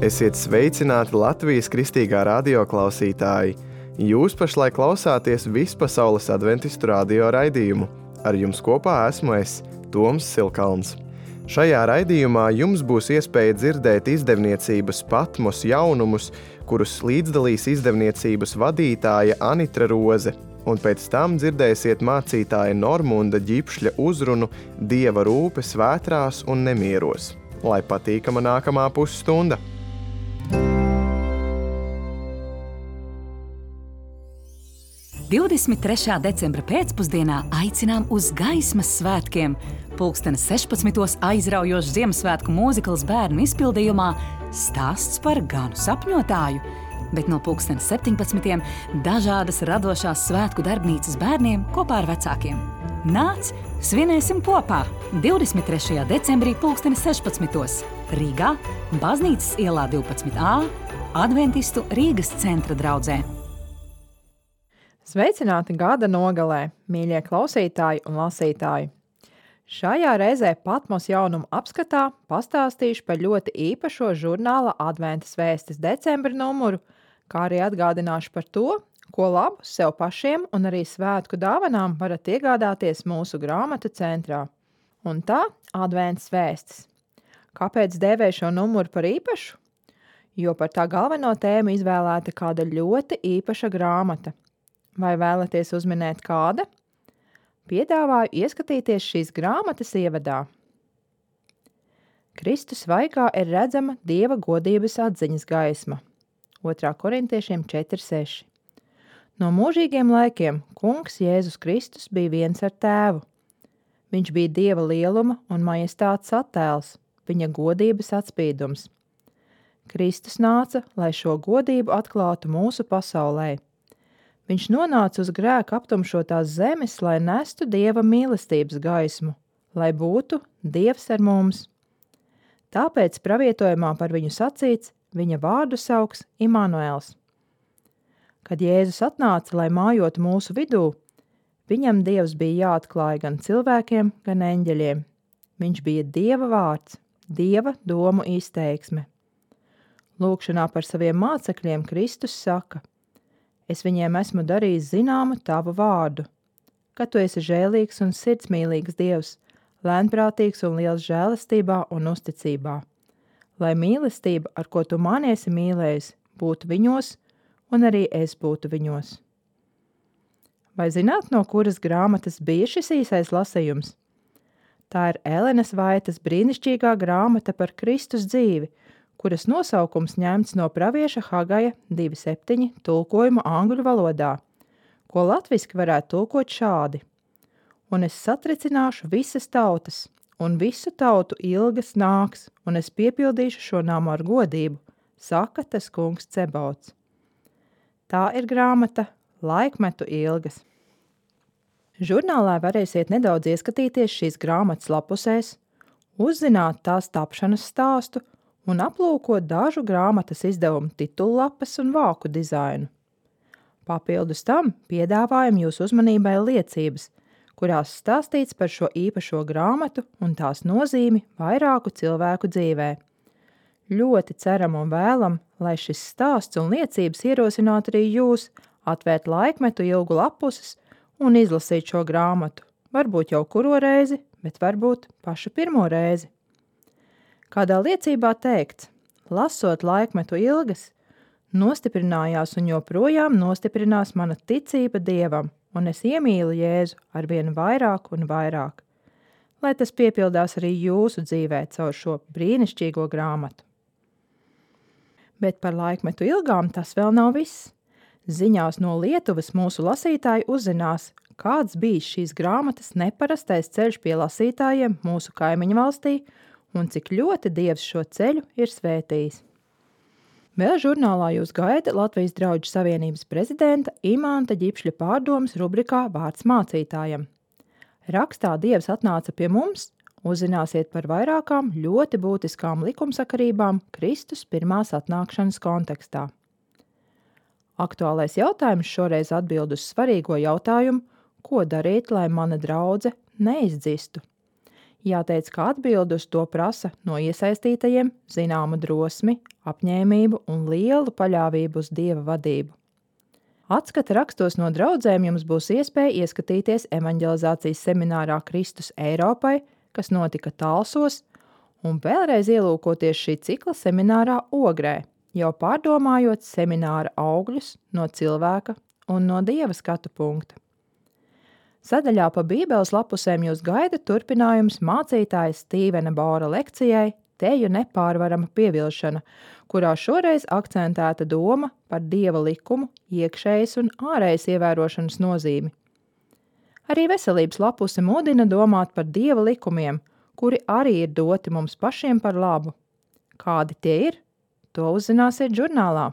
Esiet sveicināti Latvijas kristīgā radio klausītāji! Jūs pašlaik klausāties Vispasaules adventistu radio raidījumu. Ar jums kopā esmu es, Toms Silkalns. Šajā raidījumā jums būs iespēja dzirdēt izdevniecības Patmos jaunumus, kurus līdzdalīs izdevniecības vadītāja Anitra Roze, un pēc tam dzirdēsiet mācītāja Normunda Ģipšļa uzrunu Dieva rūpe svētrās un nemieros. Lai patīkama nākamā pusstunda! "23. decembra pēcpusdienā aicinām uz gaismas svētkiem. 16:00 aizraujošs Ziemassvētku mūzikls bērnu izpildījumā stāsts par ganu sapņotāju, bet no 17:00 dažādas radošās svētku darbnīcas bērniem kopā ar vecākiem. Nāc, svinēsim kopā 23. decembrī 16:00 Rīgā, Baznīcas ielā 12A, Adventistu Rīgas centra draudzē. Sveicināti gada nogalē, mīļie klausītāji un lasītāji! Šajā reizē Patmos jaunumu apskatā pastāstīšu par ļoti īpašo žurnāla Adventas vēstis decembra numuru, kā arī atgādināšu par to, ko labu sev pašiem un arī svētku dāvanām varat iegādāties mūsu grāmatu centrā. Un tā Adventas vēstis. Kāpēc dēvēju šo numuru par īpašu? Jo par tā galveno tēmu izvēlēta kāda ļoti īpaša grāmata. Vai vēlaties uzminēt kāda? Piedāvāju ieskatīties šīs grāmatas ievadā. Kristus vaigā ir redzama Dieva godības atziņas gaisma. 2. korintiešiem 4:6. No mūžīgiem laikiem Kungs Jēzus Kristus bija viens ar Tēvu. Viņš bija Dieva lieluma un majestātes attēls, viņa godības atspīdums. Kristus nāca, lai šo godību atklātu mūsu pasaulē. Viņš nonāca uz grēka aptumšotās zemes, lai nestu Dieva mīlestības gaismu, lai būtu Dievs ar mums. Tāpēc pravietojumā par viņu sacīts, viņa vārdu sauks Imanuēls. Kad Jēzus atnāca, lai mājotu mūsu vidū, viņam Dievs bija jāatklāj gan cilvēkiem, gan eņģeļiem. Viņš bija Dieva vārds, Dieva domu izteiksme. Lūkšanā par saviem mācekļiem Kristus saka: Es viņiem esmu darījis zināmu tavu vārdu, ka tu esi žēlīgs un sirdsmīlīgs Dievs, lēnprātīgs un liels žēlastībā un uzticībā, lai mīlestība, ar ko tu mani esi mīlējis, būtu viņos, un arī es būtu viņos. Vai zināt, no kuras grāmatas bija šis īsais lasījums? Tā ir Elenas Vaitas brīnišķīgā grāmata par Kristus dzīvi, kuras nosaukums ņemts no pravieša Hagaja 2:7 tulkojuma angļu valodā, ko latviski varētu tulkot šādi: Un es satricināšu visas tautas, un visu tautu ilgas nāks, un es piepildīšu šo namu ar godību, saka tas Kungs Cebauts. Tā ir grāmata Laikmetu ilgas. Žurnālā varēsiet nedaudz ieskatīties šīs grāmatas lapusēs, uzzināt tās tapšanas stāstu un aplūkot dažu grāmatas izdevumu titullapas un vāku dizainu. Papildus tam piedāvājam jūsu uzmanībai liecības, kurās stāstīts par šo īpašo grāmatu un tās nozīmi vairāku cilvēku dzīvē. Ļoti ceram un vēlam, lai šis stāsts un liecības ierosinātu arī jūs atvērt Laikmetu ilgu lapuses un izlasīt šo grāmatu, varbūt jau kuro reizi, bet varbūt pašu pirmo reizi. Kādā liecībā teikts, lasot Laikmetu ilgas, nostiprinājās un joprojām nostiprinās mana ticība Dievam, un es iemīlu Jēzu arvien vairāk un vairāk. Lai tas piepildās arī jūsu dzīvē caur šo brīnišķīgo grāmatu. Bet par Laikmetu ilgām tas vēl nav viss. Ziņās no Lietuvas mūsu lasītāji uzzinās, kāds bijis šīs grāmatas neparastais ceļš pie lasītājiem mūsu kaimiņu valstī un cik ļoti Dievs šo ceļu ir svētījis. Vēl žurnālā jūs gaida Latvijas Drauģu Savienības prezidenta Imanta Ģipšļa pārdomas rubrikā Vārds mācītājam. Rakstā Dievs atnāca pie mums, uzzināsiet par vairākām ļoti būtiskām likumsakarībām Kristus pirmās atnākšanas kontekstā. Aktuālais jautājums šoreiz atbild uz svarīgo jautājumu, ko darīt, lai mana draudze neizdzistu. Jāteic, ka atbildi uz to prasa no iesaistītajiem zināmu drosmi, apņēmību un lielu paļāvību uz Dieva vadību. Atskata rakstos no draudzēm jums būs iespēja ieskatīties evaņģelizācijas seminārā Kristus Eiropai, kas notika Talsos, un vēlreiz ielūkoties šī cikla seminārā Ogrē, jau pārdomājot semināra augļus no cilvēka un no Dieva skatu punkta. Sadaļā pa Bībeles lapusēm jūs gaida turpinājums mācītāja Stīvena Bora lekcijai Teju nepārvarama pievilšana, kurā šoreiz akcentēta doma par Dieva likumu, iekšējas un ārējas ievērošanas nozīmi. Arī veselības lapuse mudina domāt par Dieva likumiem, kuri arī ir doti mums pašiem par labu. Kādi tie ir? To uzzināsiet žurnālā.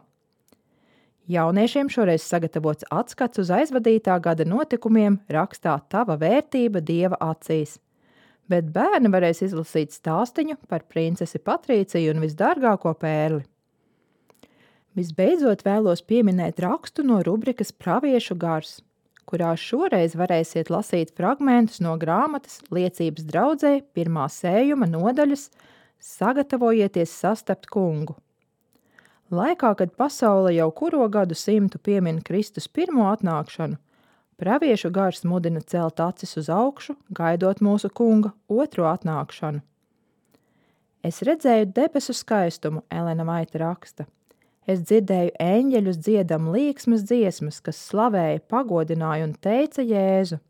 Jauniešiem šoreiz sagatavots atskats uz aizvadītā gada notikumiem rakstā Tava vērtība Dieva acīs, bet bērni varēs izlasīt stāstiņu par princesi Patrīciju un visdārgāko pērli. Visbeidzot vēlos pieminēt rakstu no rubrikas Praviešu gars, kurā šoreiz varēsiet lasīt fragmentus no grāmatas Liecības draudzei 1. sējuma nodaļas Sagatavojieties sastapt kungu. Laikā, kad pasaule jau kuro gadu simtu piemin Kristus pirmo atnākšanu, Praviešu gars mudina celt acis uz augšu, gaidot mūsu kunga otro atnākšanu. Es redzēju debesu skaistumu, Elena Vaita raksta. Es dzirdēju eņģeļus dziedam līksmas dziesmas, kas slavēja, pagodināja un teica Jēzu.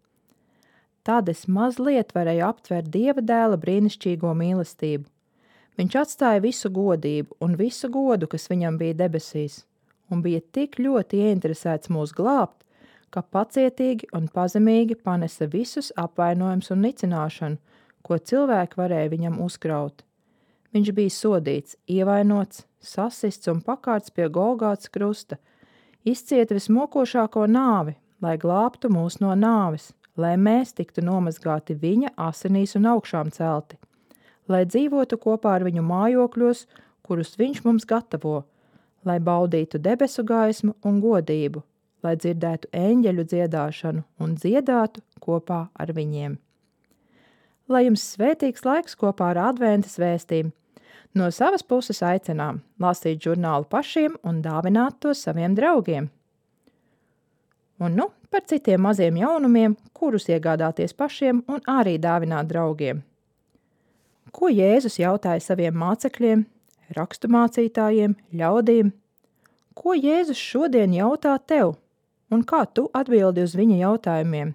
Tad es mazliet varēju aptvert Dieva dēla brīnišķīgo mīlestību. Viņš atstāja visu godību un visu godu, kas viņam bija debesīs, un bija tik ļoti ieinteresēts mūs glābt, ka pacietīgi un pazemīgi panesa visus apvainojums un nicināšanu, ko cilvēki varēja viņam uzkraut. Viņš bija sodīts, ievainots, sasists un pakārts pie Golgātas krusta, izcieta vismokošāko nāvi, lai glābtu mūs no nāves, lai mēs tiktu nomazgāti viņa asinīs un augšām celti, lai dzīvotu kopā ar viņu mājokļos, kurus viņš mums gatavo, lai baudītu debesu gaismu un godību, lai dzirdētu eņģeļu dziedāšanu un dziedātu kopā ar viņiem. Lai jums svētīgs laiks kopā ar adventas vēstīm. No savas puses aicinām lasīt žurnālu pašiem un dāvināt to saviem draugiem. Un par citiem maziem jaunumiem, kurus iegādāties pašiem un arī dāvināt draugiem. Ko Jēzus jautāja saviem mācekļiem, raksturmācītājiem, ļaudīm? Ko Jēzus šodien jautā tev? Un kā tu atbildi uz viņa jautājumiem?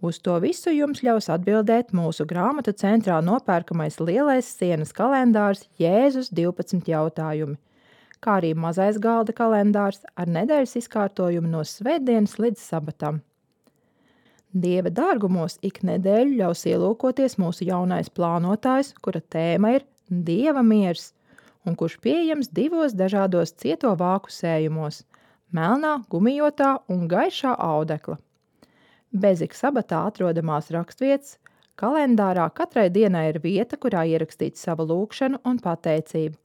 Uz to visu jums ļaus atbildēt mūsu grāmatu centrā nopērkamais lielais sienas kalendārs Jēzus 12 jautājumi, kā arī mazais galda kalendārs ar nedēļas izkārtojumu no svētdienas līdz sabatam. Dieva dārgumos ik nedēļu ļaus ielūkoties mūsu jaunais plānotājs, kura tēma ir Dieva miers, un kurš pieejams 2 dažādos cieto vāku sējumos – melnā, gumijotā un gaišā audekla. Bez ik sabatā atrodamās rakstvietas, kalendārā katrai dienai ir vieta, kurā ierakstīt savu lūgšanu un pateicību,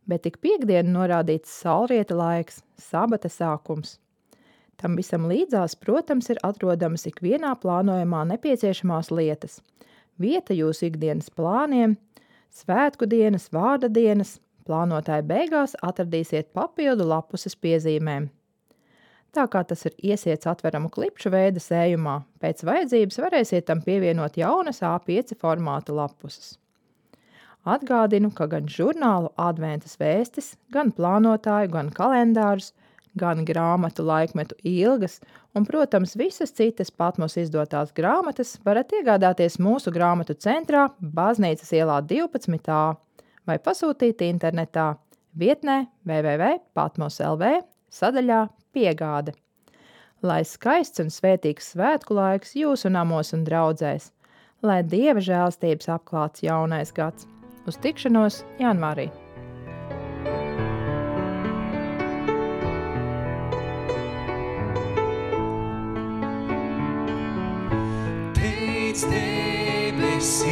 bet tik piekdienu norādīts saulrieta laiks, sabata sākums. Tam visam līdzās, protams, ir atrodamas ikvienā plānojumā nepieciešamās lietas, vieta jūsu ikdienas plāniem, svētku dienas, vārda dienas, plānotāja beigās atradīsiet papildu lapuses piezīmēm. Tā kā tas ir iesiets atveramu klipšu veida sējumā, pēc vajadzības varēsiet tam pievienot jaunas A5 formāta lapuses. Atgādinu, ka gan žurnālu adventas vēstis, gan plānotāju, gan kalendārus, gan grāmatu laikmetu ilgas un, protams, visas citas Patmos izdotās grāmatas varat iegādāties mūsu grāmatu centrā Baznīcas ielā 12a vai pasūtīt internetā vietnē www.patmos.lv sadaļā Piegāde. Lai skaists un svētīgs svētku laiks jūsu namos un draudzēs, lai Dieva žēlstības apklāts jaunais gads. Uz tikšanos janvārī! Teic debesīs,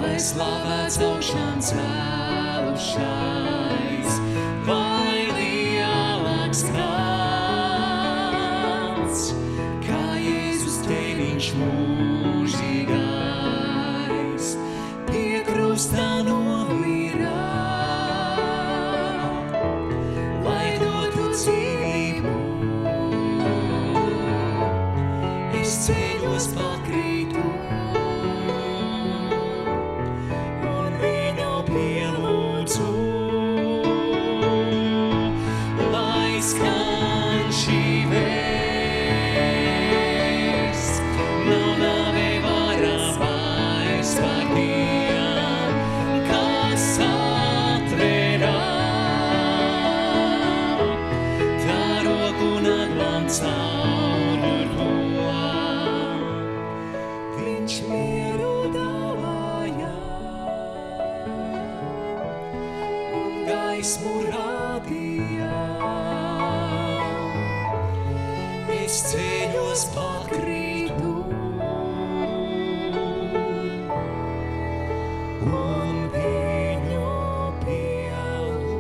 lai slavēts augšām cēlušais, vai lielāks kāds, kā Jēzus teviņš mūs. skan šī vēsts, nav nāvei varas vairs par tiem, kas atverā. Tā roku naglām caur to. Viņš mieru dāvāja un gaismu rādīja. Es ceļos pakrītu un viņu pielūdzu.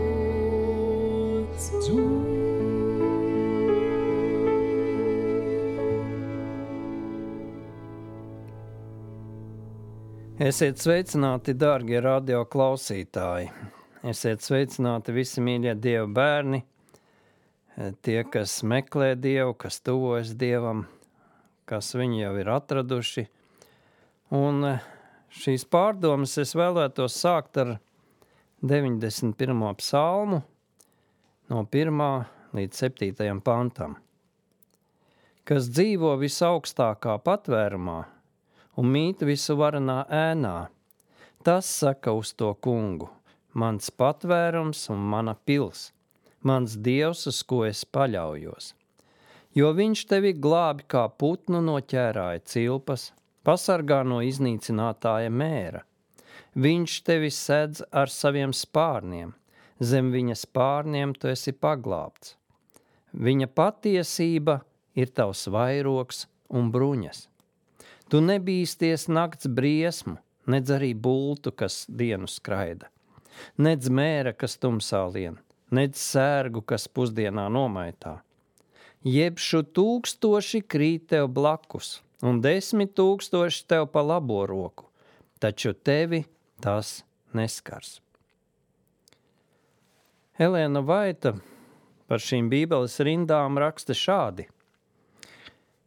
Esiet sveicināti, dārgie radio klausītāji. Esiet sveicināti visi mīļie Dieva bērni, tie, kas meklē Dievu, kas tuvojas Dievam, kas viņu jau ir atraduši. Un šīs pārdomas es vēlētos sākt ar 91. psalmu no 1. līdz 7. pantam. Kas dzīvo visaugstākā patvērumā un mīt visu varanā ēnā, tas saka uz to kungu, mans patvērums un mana pils, mans Dievs, uz ko es paļaujos. Jo viņš tevi glābi kā putnu no ķērāja cilpas, pasargā no iznīcinātāja mēra. Viņš tevi sedz ar saviem spārniem, zem viņa spārniem tu esi paglābts. Viņa patiesība ir tavs vairogs un bruņas. Tu nebīsties nakts briesmu, nedz arī bultu, kas dienu skraida, nedz mēra, kas tumsā lien, nedz sērgu, kas pusdienā nomaitā. Jebšu 1000 krīt tev blakus, un 10 000 tev pa labo roku, taču tevi tas neskars. Elēna Vaita par šīm bībeles rindām raksta šādi.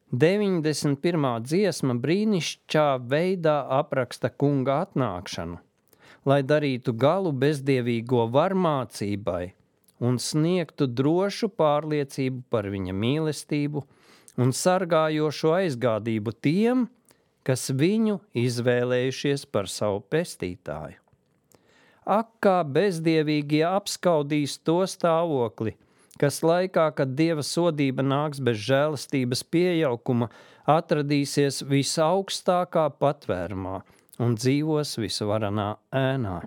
91. dziesma brīnišķā veidā apraksta kunga atnākšanu, lai darītu galu bezdievīgo varmācībai un sniegtu drošu pārliecību par viņa mīlestību un sargājošo aizgādību tiem, kas viņu izvēlējušies par savu pestītāju. Ak, kā bezdievīgie apskaudīs to stāvokli, kas laikā, kad Dieva sodība nāks bez žēlastības piejaukuma, atradīsies visaugstākā patvērumā un dzīvos visvaranā ēnā.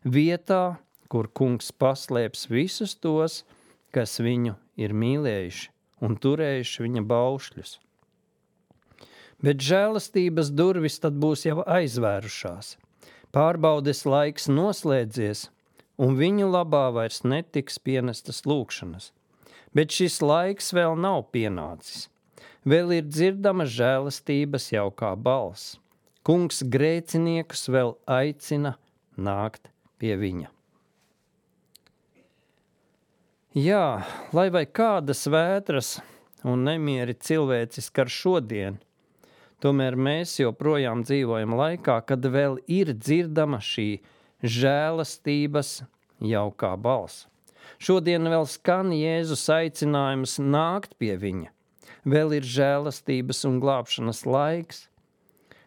Vietā, kur kungs paslēps visus tos, kas viņu ir mīlējuši un turējuši viņa baušļus. Bet žēlastības durvis tad būs jau aizvērušās. Pārbaudes laiks noslēdzies, un viņu labā vairs netiks pienestas lūkšanas. Bet šis laiks vēl nav pienācis. Vēl ir dzirdama žēlastības jaukā balss. Kungs grēciniekus vēl aicina nākt pie viņa. Jā, lai vai kādas vētras un nemieri cilvēci skar šodien, tomēr mēs joprojām dzīvojam laikā, kad vēl ir dzirdama šī žēlastības jaukā balss. Šodien vēl skan Jēzus aicinājums nākt pie viņa. Vēl ir žēlastības un glābšanas laiks.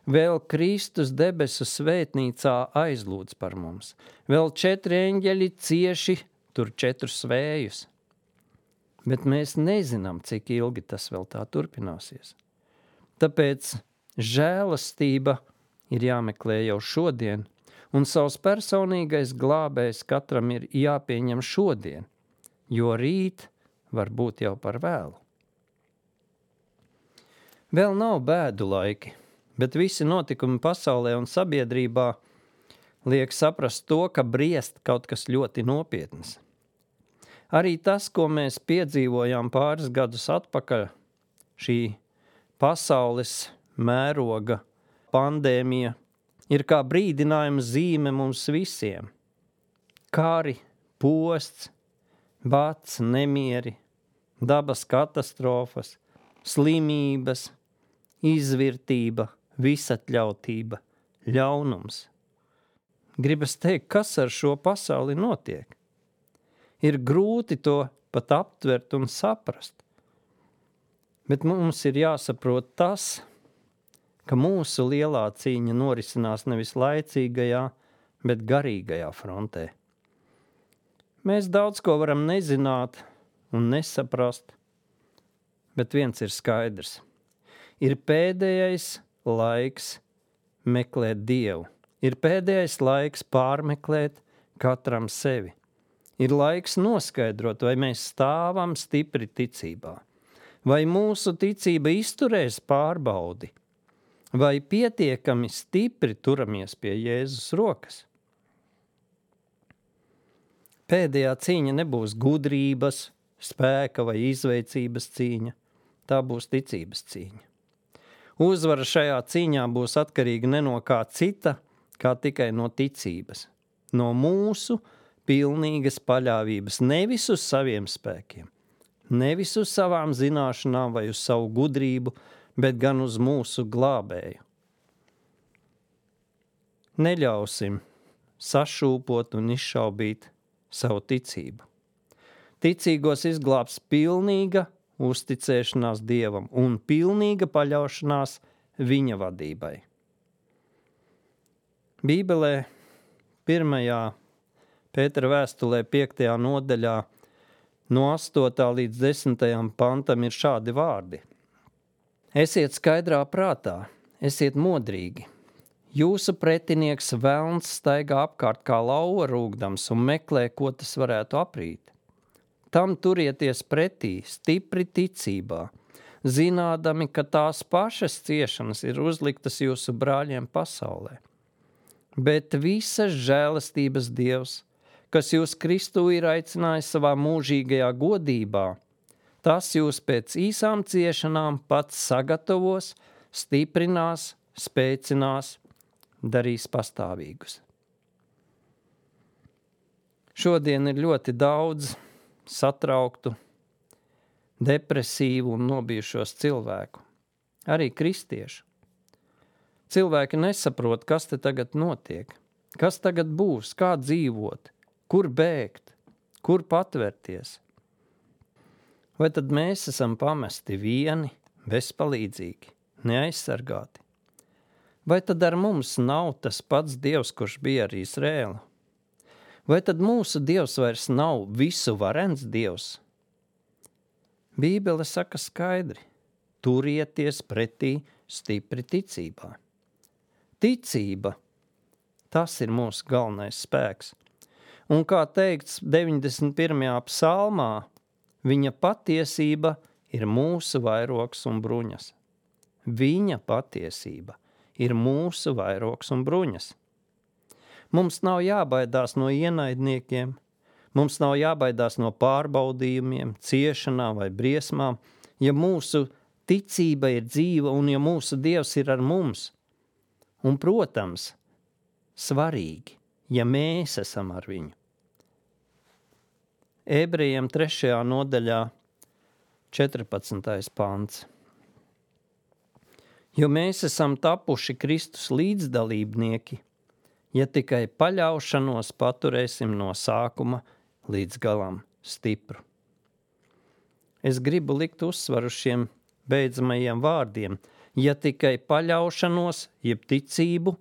Vēl Kristus debesu svētnīcā aizlūdz par mums. Vēl 4 eņģeļi cieši tur 4 svējus. Bet mēs nezinām, cik ilgi tas vēl tā turpināsies. Tāpēc žēlastība ir jāmeklē jau šodien, un savs personīgais glābējs katram ir jāpieņem šodien, jo rīt var būt jau par vēlu. Vēl nav bēdu laiki, bet visi notikumi pasaulē un sabiedrībā liek saprast to, ka briest kaut kas ļoti nopietns. Arī tas, ko mēs piedzīvojām pāris gadus atpakaļ, šī pasaules mēroga pandēmija, ir kā brīdinājuma zīme mums visiem. Kari, posts, bats, nemieri, dabas katastrofas, slimības, izvirtība, visatļautība, ļaunums. Gribas teikt, kas ar šo pasauli notiek. Ir grūti to pat aptvert un saprast. Bet mums ir jāsaprot tas, ka mūsu lielā cīņa norisinās nevis laicīgajā, bet garīgajā frontē. Mēs daudz ko varam nezināt un nesaprast, bet viens ir skaidrs. Ir pēdējais laiks meklēt Dievu. Ir pēdējais laiks pārmeklēt katram sevi. Ir laiks noskaidrot, vai mēs stāvam stipri ticībā, vai mūsu ticība izturēs pārbaudi, vai pietiekami stipri turamies pie Jēzus rokas. Pēdējā cīņa nebūs gudrības, spēka vai izveicības cīņa, tā būs ticības cīņa. Uzvara šajā cīņā būs atkarīga ne no kā cita, kā tikai no ticības, no mūsu pilnīgas paļāvības, nevis uz saviem spēkiem, nevis uz savām zināšanām vai uz savu gudrību, bet gan uz mūsu glābēju. Neļausim sašūpot un izšaubīt savu ticību. Ticīgos izglābs pilnīga uzticēšanās Dievam un pilnīga paļaušanās viņa vadībai. Bībelē 1. Pētera vēstulē 5. nodaļā no 8. līdz 10. pantam ir šādi vārdi. Esiet skaidrā prātā, esiet modrīgi. Jūsu pretinieks velns staigā apkārt kā lauva rūgdams un meklē, ko tas varētu aprīt. Tam turieties pretī, stipri ticībā, zinādami, ka tās pašas ciešanas ir uzliktas jūsu brāļiem pasaulē. Bet visas žēlastības Dievs, kas jūs Kristū ir aicinājis savā mūžīgajā godībā, tas jūs pēc īsām ciešanām pats sagatavos, stiprinās, spēcinās, darīs pastāvīgus. Šodien ir ļoti daudz satrauktu, depresīvu un nobijušos cilvēku, arī kristiešu. Cilvēki nesaprot, kas te tagad notiek, kas tagad būs, kā dzīvot, kur bēgt, kur patvērties. Vai tad mēs esam pamesti vieni, bezpalīdzīgi, neaizsargāti? Vai tad ar mums nav tas pats Dievs, kurš bija ar Izrēlu? Vai tad mūsu Dievs vairs nav visu varens Dievs? Bībele saka skaidri, turieties pretī stipri ticībā. Ticība, tas ir mūsu galvenais spēks. Un kā teikts 91. psalmā, viņa patiesība ir mūsu vairogs un bruņas. Viņa patiesība ir mūsu vairogs un bruņas. Mums nav jābaidās no ienaidniekiem, mums nav jābaidās no pārbaudījumiem, ciešanām vai briesmām, ja mūsu ticība ir dzīva un ja mūsu Dievs ir ar mums. Un, protams, svarīgi, ja mēs esam ar viņu. Ebrejiem 3. nodaļā 14. pants. Jo mēs esam tapuši Kristus līdzdalībnieki, ja tikai paļaušanos paturēsim no sākuma līdz galam stipru. Es gribu likt uzsvaru šiem beidzamajiem vārdiem, ja tikai paļaušanos, jeb ticību,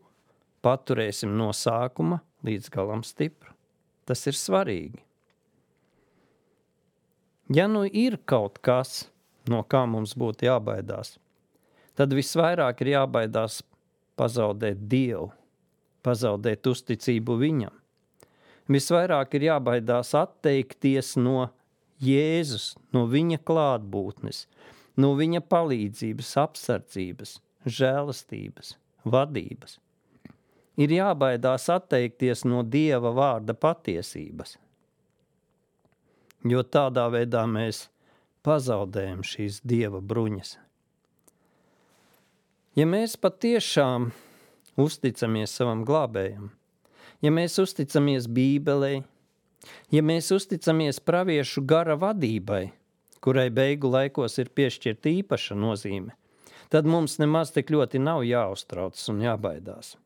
paturēsim no sākuma līdz galam stipru. Tas ir svarīgi. Ja nu ir kaut kas, no kā mums būtu jābaidās, tad visvairāk ir jābaidās pazaudēt Dievu, pazaudēt uzticību viņam. Visvairāk ir jābaidās atteikties no Jēzus, no viņa klātbūtnes, no viņa palīdzības, apsardzības, žēlastības, vadības. Ir jābaidās atteikties no Dieva vārda patiesības, jo tādā veidā mēs pazaudējam šīs Dieva bruņas. Ja mēs patiešām uzticamies savam glābējam, ja mēs uzticamies Bībelei, ja mēs uzticamies praviešu gara vadībai, kurai beigu laikos ir piešķirta īpaša nozīme, tad mums nemaz tik ļoti nav jāuztraucas un jābaidās.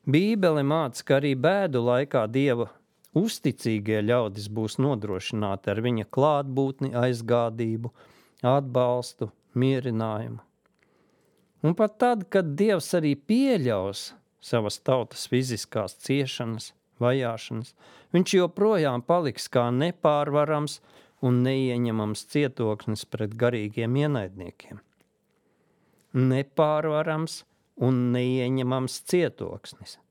Bībele māca, ka arī bēdu laikā Dieva Uzticīgie ļaudis būs nodrošināti ar viņa klātbūtni, aizgādību, atbalstu, mierinājumu. Un pat tad, kad Dievs arī pieļaus savas tautas fiziskās ciešanas, vajāšanas, viņš joprojām paliks kā nepārvarams un neieņemams cietoksnis pret garīgiem ienaidniekiem. Nepārvarams un neieņemams cietoksnis.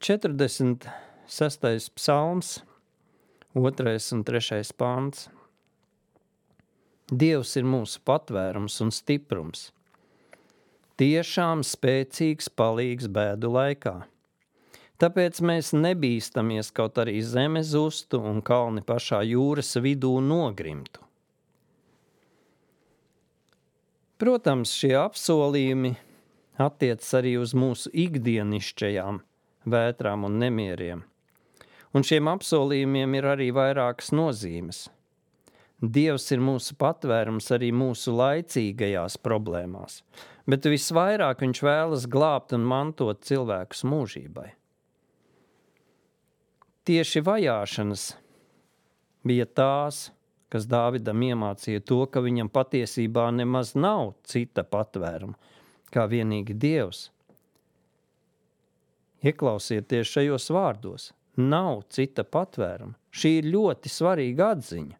46. psalms, 2. un 3. pants. Dievs ir mūsu patvērums un stiprums. Tiešām spēcīgs palīgs bēdu laikā. Tāpēc mēs nebīstamies, kaut arī zeme zustu un kalni pašā jūras vidū nogrimtu. Protams, šie apsolījumi attiecas arī uz mūsu ikdienišķajām vētrām un nemieriem. Un šiem apsolījumiem ir arī vairākas nozīmes. Dievs ir mūsu patvērums arī mūsu laicīgajās problēmās, bet visvairāk viņš vēlas glābt un mantot cilvēkus mūžībai. Tieši vajāšanas bija tās, kas Dāvidam iemācīja to, ka viņam patiesībā nemaz nav cita patvēruma, kā vienīgi Dievs. Ieklausieties šajos vārdos. Nav cita patvēruma. Šī ir ļoti svarīga atziņa.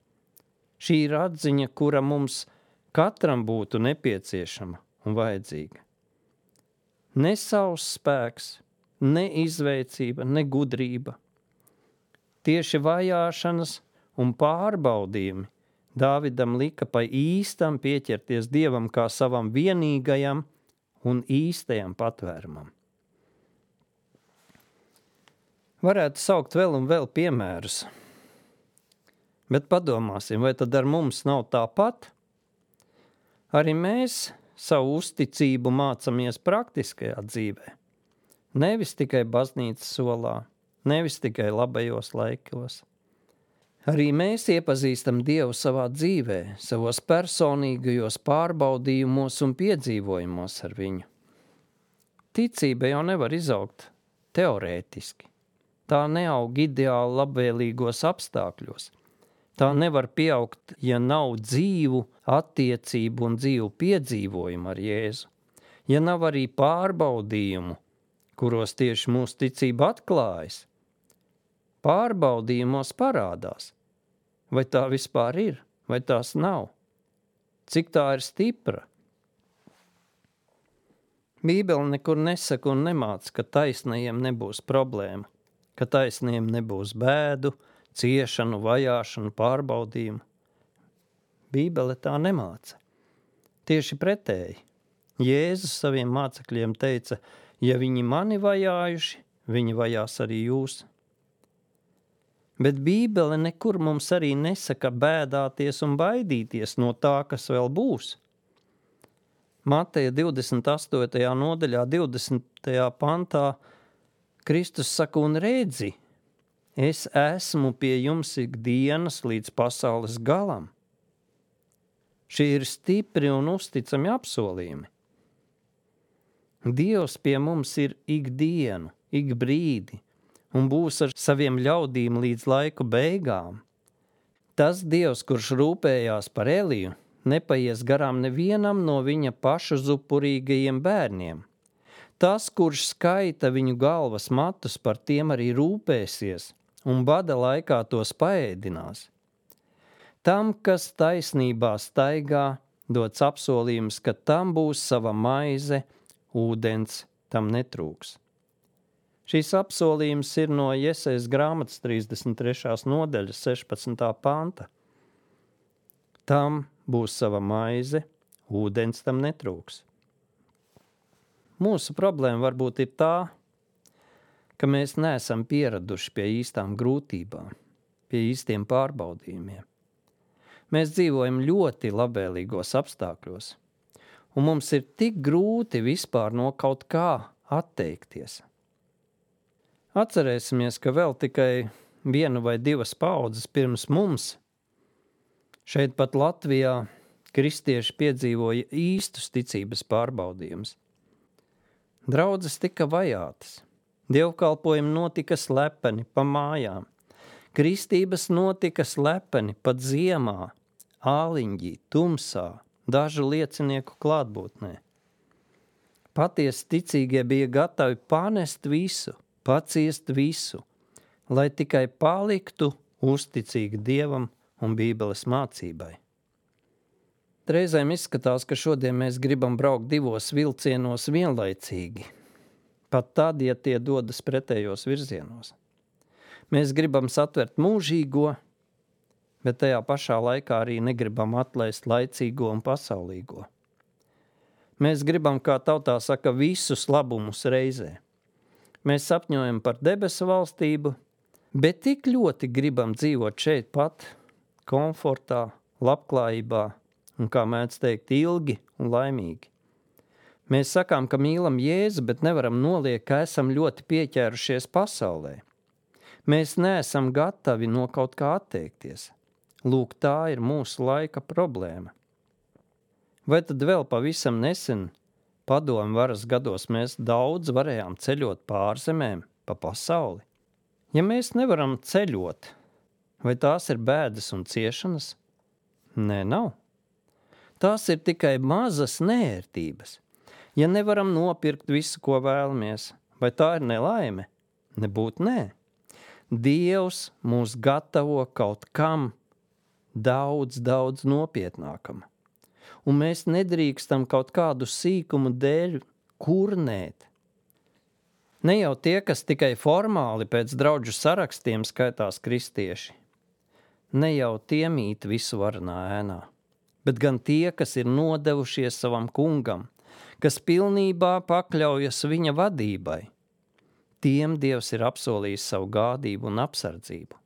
Šī ir atziņa, kura mums katram būtu nepieciešama un vajadzīga. Ne savs spēks, ne izveicība, ne gudrība. Tieši vajāšanas un pārbaudījumi Dāvidam lika pa īstam pieķerties Dievam kā savam vienīgajam un īstajam patvērumam. Varētu saukt vēl un vēl piemērus, bet padomāsim, vai tad ar mums nav tāpat? Arī mēs savu uzticību mācamies praktiskajā dzīvē. Nevis tikai baznīcas solā, nevis tikai labajos laikos. Arī mēs iepazīstam Dievu savā dzīvē, savos personīgajos pārbaudījumos un piedzīvojumos ar viņu. Ticība jau nevar izaugt teorētiski. Tā neaug ideāli labvēlīgos apstākļos. Tā nevar pieaugt, ja nav dzīvu attiecību un dzīvu piedzīvojumu ar Jēzu. Ja nav arī pārbaudījumu, kuros tieši mūsu ticība atklājas. Pārbaudījumos parādās, vai tā vispār ir, vai tās nav. Cik tā ir stipra? Bībele nekur nesaka un nemāca, ka taisnajiem nebūs problēma, ka taisnajiem nebūs bēdu, ciešanu, vajāšanu, pārbaudījumu. Bībele tā nemāca. Tieši pretēji. Jēzus saviem mācekļiem teica, ja viņi mani vajājuši, viņi vajās arī jūs. Bet Bībele nekur mums arī nesaka bēdāties un baidīties no tā, kas vēl būs. Mateja 28. nodaļā, 20. pantā Kristus saka, un redzi, es esmu pie jums ikdienas līdz pasaules galam. Šie ir stipri un uzticami apsolījumi. Dievs pie mums ir ikdienu, ik brīdi, un būs ar saviem ļaudīm līdz laiku beigām. Tas Dievs, kurš rūpējās par Eliju, nepaies garām nevienam no viņa pašu zupurīgajiem bērniem. Tas, kurš skaita viņu galvas matus, par tiem arī rūpēsies, un bada laikā tos paēdinās. Tam, kas taisnībā staigā, dots apsolījums, ka tam būs sava maize, ūdens tam netrūks. Šīs apsolījums ir no Jesajas grāmatas 33. nodaļas 16. panta. Tam būs sava maize, ūdens tam netrūks. Mūsu problēma varbūt ir tā, ka mēs neesam pieraduši pie īstām grūtībām, pie īstiem pārbaudījumiem. Mēs dzīvojam ļoti labvēlīgos apstākļos, un mums ir tik grūti vispār no kaut kā atteikties. Atcerēsimies, ka vēl tikai 1 vai 2 paudzes pirms mums šeit pat Latvijā kristieši piedzīvoja īstus ticības pārbaudījumus. Draudzes tika vajātas, Dievkalpojumi notika slepeni pa mājām. Kristības notika slepeni pat ziemā, āliņģī, tumsā, dažu liecinieku klātbūtnē. Patiesi ticīgie bija gatavi panest visu, paciest visu, lai tikai paliktu uzticīgi Dievam un Bībeles mācībai. Reizēm izskatās, ka šodien mēs gribam braukt divos vilcienos vienlaicīgi, pat tad, ja tie dodas pretējos virzienos. Mēs gribam satvert mūžīgo, bet tajā pašā laikā arī negribam atlaist laicīgo un pasaulīgo. Mēs gribam, kā tautā saka, visus labumus reizē. Mēs sapņojam par debesu valstību, bet tik ļoti gribam dzīvot šeit pat, komfortā, labklājībā un, kā mēdz teikt, ilgi un laimīgi. Mēs sakām, ka mīlam Jēzu, bet nevaram noliekt, ka esam ļoti pieķērušies pasaulē. Mēs neesam gatavi no kaut kā atteikties. Lūk, tā ir mūsu laika problēma. Vai tad vēl pavisam nesen, padomu varas gados, mēs daudz varējām ceļot pārzemēm pa pasauli? Ja mēs nevaram ceļot, vai tās ir bēdas un ciešanas? Nē, nav. Tās ir tikai mazas neērtības. Ja nevaram nopirkt visu, ko vēlamies, vai tā ir nelaime? Nebūt nē. Dievs mūs gatavo kaut kam daudz nopietnākam. Un mēs nedrīkstam kaut kādu sīkumu dēļ kurnēt. Ne jau tie, kas tikai formāli pēc draudžu sarakstiem skaitās kristieši. Ne jau tie mīt visu varanā ēnā, bet gan tie, kas ir nodevušies savam kungam, kas pilnībā pakļaujas viņa vadībai. Tiem Dievs ir apsolījis savu gādību un apsardzību.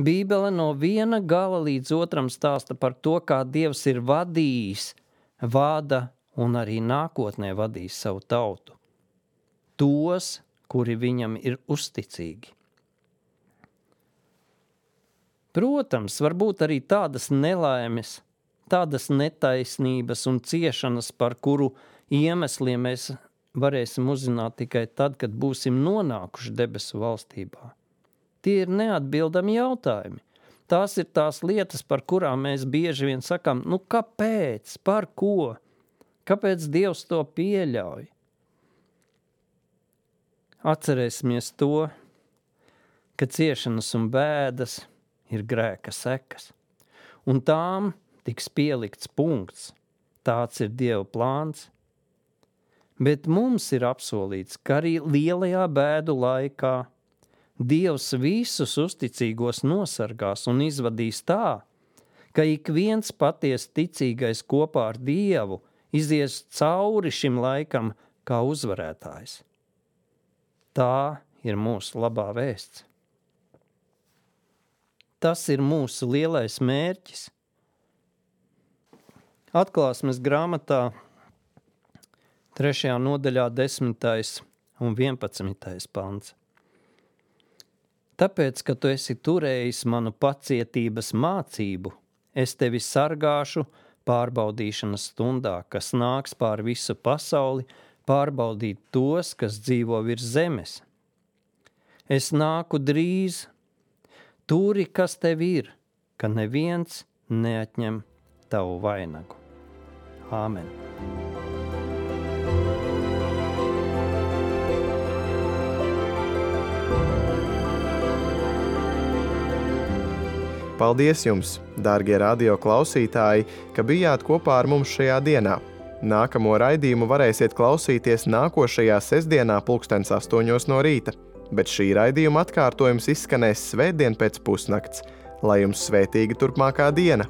Bībele no viena gala līdz otram stāsta par to, kā Dievs ir vadījis, vada un arī nākotnē vadīs savu tautu. Tos, kuri viņam ir uzticīgi. Protams, varbūt arī tādas nelaimes, tādas netaisnības un ciešanas, par kuru iemesliem mēs varēsim uzzināt tikai tad, kad būsim nonākuši debesu valstībā. Tie ir neatbildami jautājumi. Tās ir tās lietas, par kurām mēs bieži vien sakām, kāpēc, par ko? Kāpēc Dievs to pieļauj? Atcerēsimies to, ka ciešanas un bēdas ir grēka sekas, un tām tiks pielikts punkts. Tāds ir Dieva plāns. Bet mums ir apsolīts, ka arī lielajā bēdu laikā Dievs visus uzticīgos nosargās un izvadīs tā, ka ik viens patiesi ticīgais kopā ar Dievu izies cauri šim laikam kā uzvarētājs. Tā ir mūsu labā vēsts. Tas ir mūsu lielais mērķis. Atklāsmes grāmatā 3. nodaļā 10. un 11. pants. Tāpēc, ka tu esi turējis manu pacietības mācību, es tevi sargāšu pārbaudīšanas stundā, kas nāks pār visu pasauli, pārbaudīt tos, kas dzīvo virs zemes. Es nāku drīz, turi, kas tev ir, ka neviens neatņem tavu vainagu. Āmen. Paldies jums, dārgie radio klausītāji, ka bijāt kopā ar mums šajā dienā. Nākamo raidījumu varēsiet klausīties nākošajā sestdienā 8:00 no rīta, bet šī raidījuma atkārtojums izskanēs svētdien pēc pusnakts. Lai jums svētīga turpmākā diena!